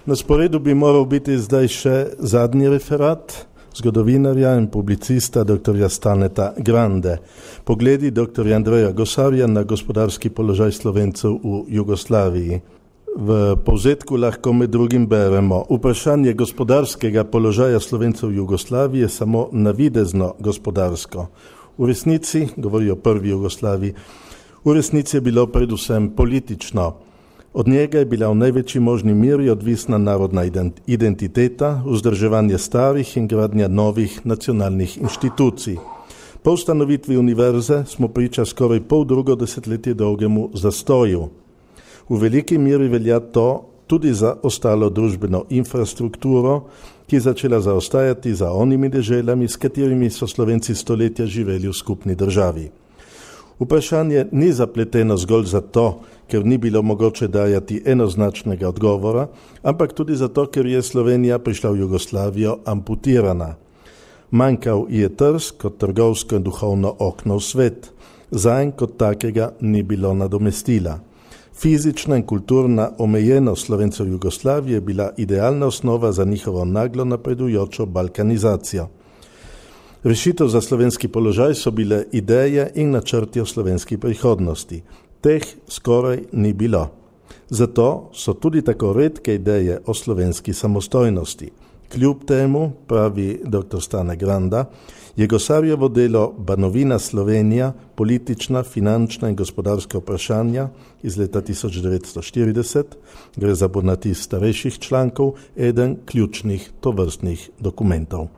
Na sporedu bi moral biti zdaj še zadnji referat zgodovinarja in publicista dr. Staneta Grande. Pogledi dr. Andreja Gosarja na gospodarski položaj Slovencev v Jugoslaviji. V povzetku lahko med drugim beremo: vprašanje gospodarskega položaja Slovencev v Jugoslaviji je samo navidezno gospodarsko. V resnici, govori o prvi Jugoslaviji, v resnici je bilo predvsem politično. Od njega je bila v največji možni meri odvisna narodna identiteta, vzdrževanje starih in gradnja novih nacionalnih inštitucij. Po ustanovitvi univerze smo priča skoraj poldrugo desetletje dolgemu zastoju. V veliki meri velja to tudi za ostalo družbeno infrastrukturo, ki je začela zaostajati za onimi deželami, s katerimi so Slovenci stoletja živeli v skupni državi. Vprašanje ni zapleteno zgolj zato, ker ni bilo mogoče dajati enoznačnega odgovora, ampak tudi zato, ker je Slovenija prišla v Jugoslavijo amputirana. Manjkal je Trst kot trgovsko in duhovno okno v svet. Zanj kot takega ni bilo nadomestila. Fizična in kulturna omejenost Slovencev v Jugoslaviji je bila idealna osnova za njihovo naglo napredujočo balkanizacijo. Rešitev za slovenski položaj so bile ideje in načrti o slovenski prihodnosti. Teh skoraj ni bilo. Zato so tudi tako redke ideje o slovenski samostojnosti. Kljub temu, pravi dr. Stane Granda, je Gosarjevo delo Banovina Slovenija, politična, finančna in gospodarska vprašanja iz leta 1940, gre za ponatis starejših člankov, eden ključnih tovrstnih dokumentov.